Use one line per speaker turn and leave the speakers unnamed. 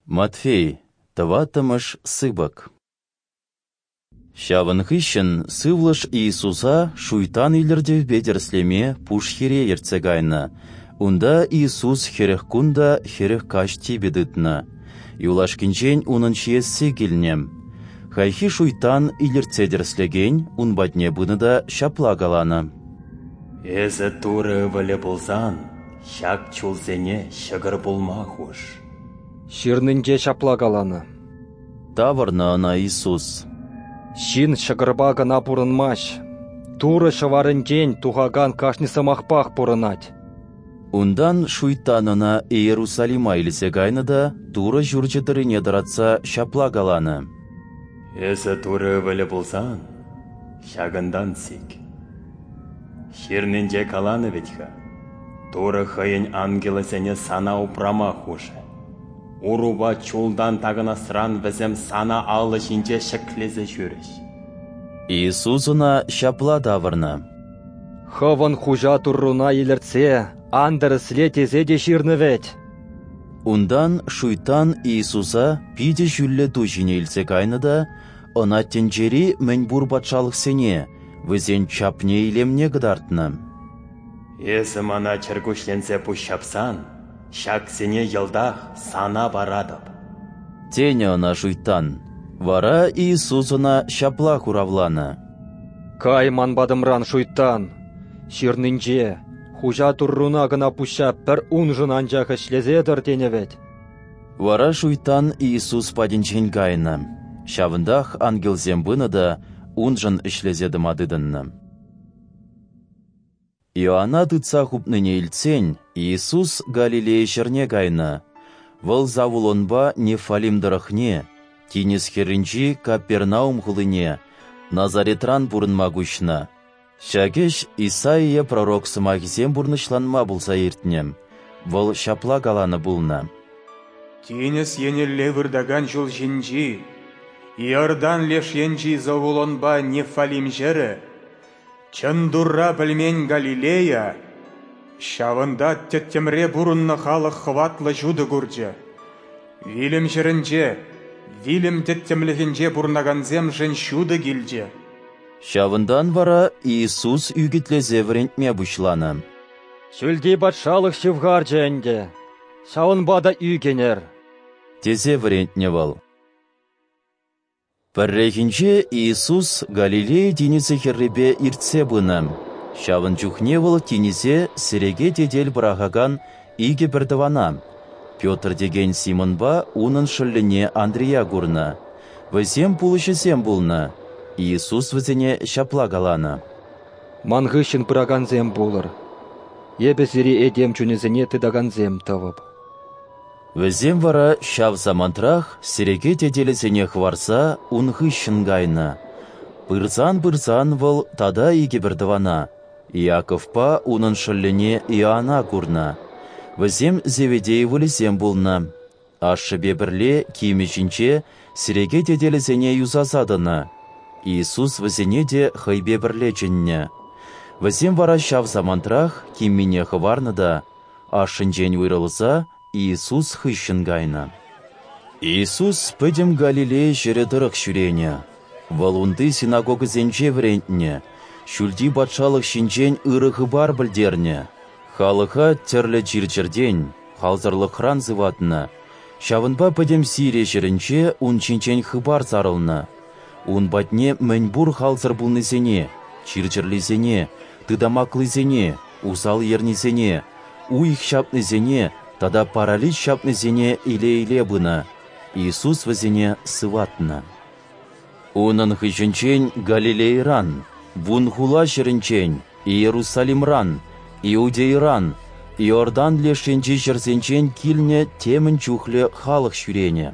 Матфей, тӑваттӑмӗш сыпӑк. Ҫавӑн хыҫҫӑн сывлӑш Иисуса шуйттан илӗртӗвпе тӗрӗслеме пуш хире ертсе кайнӑ. Унта Иисус 40 кун та 40 каҫ типӗ тытнӑ. Юлашкинчен унӑн ҫиесси килнӗ. Хайхи шуйттан илӗртсе тӗрӗслекен ун патне пынӑ та ҫапла каланӑ:
«Эсӗ Турӑ ывӑлӗ пулсан, ҫак чулсене ҫӑкӑр пулма хуш».
Ҫырнинче ҫапла каланӑ.
Тавӑрнӑ ӑна Иисус.
Ҫын ҫӑкӑрпа кӑна пурӑнмасть, Турӑ ҫӑварӗнчен тухакан кашни сӑмахпах пурӑнать.
Унтан шуйттан ӑна Иерусалима илсе кайнӑ та Турӑ ҫурчӗ тӑррине тӑратса ҫапла каланӑ:
«Эсӗ Турӑ ывӑлӗ пулсан, ҫакӑнтан сик. Ҫырнинче каланӑ вӗт-ха, Турӑ хӑйӗн ангелӗсене сана упрама хушӗ. Урупа чултан такӑнасран вӗсем сана алӑ ҫинче ҫӗклесе ҫӳрӗҫ».
Иисус ӑна ҫапла тавӑрнӑ:
«Хӑвӑн хуҫа Турруна илӗртсе ан тӗрӗсле тесе те ҫырнӑ вӗт».
Унтан шуйттан Иисуса питӗ ҫӳллӗ ту ҫине илсе кайнӑ та ӑна тӗнчери мӗнпур патшалӑхсене, вӗсен чапне-илемне кӑтартнӑ.
«Эсӗ мана чӗркуҫленсе пуҫҫапсан, ҫаксене йӑлтах сана паратӑп»,
тенӗ ӑна шуйттан. Вара Иисус ӑна ҫапла хуравланӑ:
«Кай ман патӑмран, шуйттан! Ҫырнинче, хуҫа Турруна кӑна пуҫҫап, пӗр уншӑн анчах ӗҫлесе тӑр тенӗ вӗт».
Вара шуйттан Иисус патӗнчен кайнӑ. Ҫавӑнтах ангелсем пынӑ та уншӑн ӗҫлесе тӑма тытӑннӑ. Иоанна тытса хупнине илтсен, Иисус Галилея ҫӗрне кайнӑ. Вӑл Завулонпа Неффалим тӑрӑхне, тинӗс хӗрринчи Капернаум хулине, Назаретран пурӑнма куҫнӑ. Ҫак ӗҫ Исаия пророк сӑмахӗсем пурнӑҫланма пулса иртнӗ. Вӑл ҫапла каланӑ пулнӑ:
«Тинӗс енелле выртакан ҫул ҫинчи, Иордан леш енчи Завулонпа Неффалим ҫӗрӗ, чӑн Турра пӗлмен Галилея, ҫавӑнта тӗттӗмре пурӑннӑ халӑх хӑватлӑ ҫутӑ курчӗ. Вилӗм ҫӗрӗнче, вилӗм тӗттӗмлӗхӗнче пурӑнакансемшӗн ҫутӑ килчӗ».
Ҫавӑнтан вара Иисус ӳкӗтлесе вӗрентме пуҫланӑ.
«Ҫӳлти патшалӑх ҫывхарчӗ ӗнтӗ, ҫавӑнпа та ӳкӗнӗр»,
тесе вӗрентнӗ вӑл. Пӗррехинче Иисус Галилея тинӗсӗ хӗррипе иртсе пынӑ. Ҫавӑн чухне вӑл тинӗсе сӗреке тетел пӑрахакан икӗ пӗртӑвана, Петр текен Симонпа унӑн шӑллӗне Андрея курнӑ. Вӗсем пулӑҫӑсем пулнӑ. Иисус вӗсене ҫапла каланӑ:
«Ман хыҫҫӑн пыракансем пулӑр. Эпӗ сире этем чунӗсене тытакансем тӑвӑп».
Вӗсем вара ҫав самантрах сӗреке тетелӗсене хӑварса ун хыҫҫӑн кайнӑ. Пырсан-пырсан вӑл тата икӗ пӗртӑвана, Иаковпа унӑн шӑллӗне Иоанна курнӑ. Вӗсем Зеведей ывӑлӗсем пулнӑ. Ашшӗпе пӗрле кимӗ ҫинче сӗреке тетелӗсене юсаса тӑнӑ. Иисус вӗсене те хӑйпе пӗрле чӗннӗ. Вӗсем вара ҫав самантрах киммине хӑварнӑ та, ашшӗнчен уйрӑлса, Иисус хыҫҫӑн кайнӑ. Иисус пӗтӗм Галилея ҫӗрӗ тӑрӑх ҫӳренӗ. Вӑл унти синагогӑсенче вӗрентнӗ, ҫӳлти патшалӑх ҫинчен ырӑ хыпар пӗлтернӗ, халӑха тӗрлӗ чир-чӗртен, халсӑрлӑхран сыватнӑ. Ҫавӑнпа пӗтӗм Сири ҫӗрӗнче ун ҫинчен хыпар сарӑлнӑ. Ун патне мӗнпур халсӑр пулнисене, чир-чӗрлисене, тытамаклисене, усал ернисене, уйӑх ҫапнисене тата паралич ҫапнисене иле-иле пынӑ. Иисус вӗсене сыватнӑ. Унӑн хыҫӗнчен Галилейӑран, Вунхула ҫӗрӗнчен, Иерусалимран, Иудейӑран, Иордан леш енчи ҫӗрсенчен килнӗ темӗн чухлӗ халӑх ҫӳренӗ.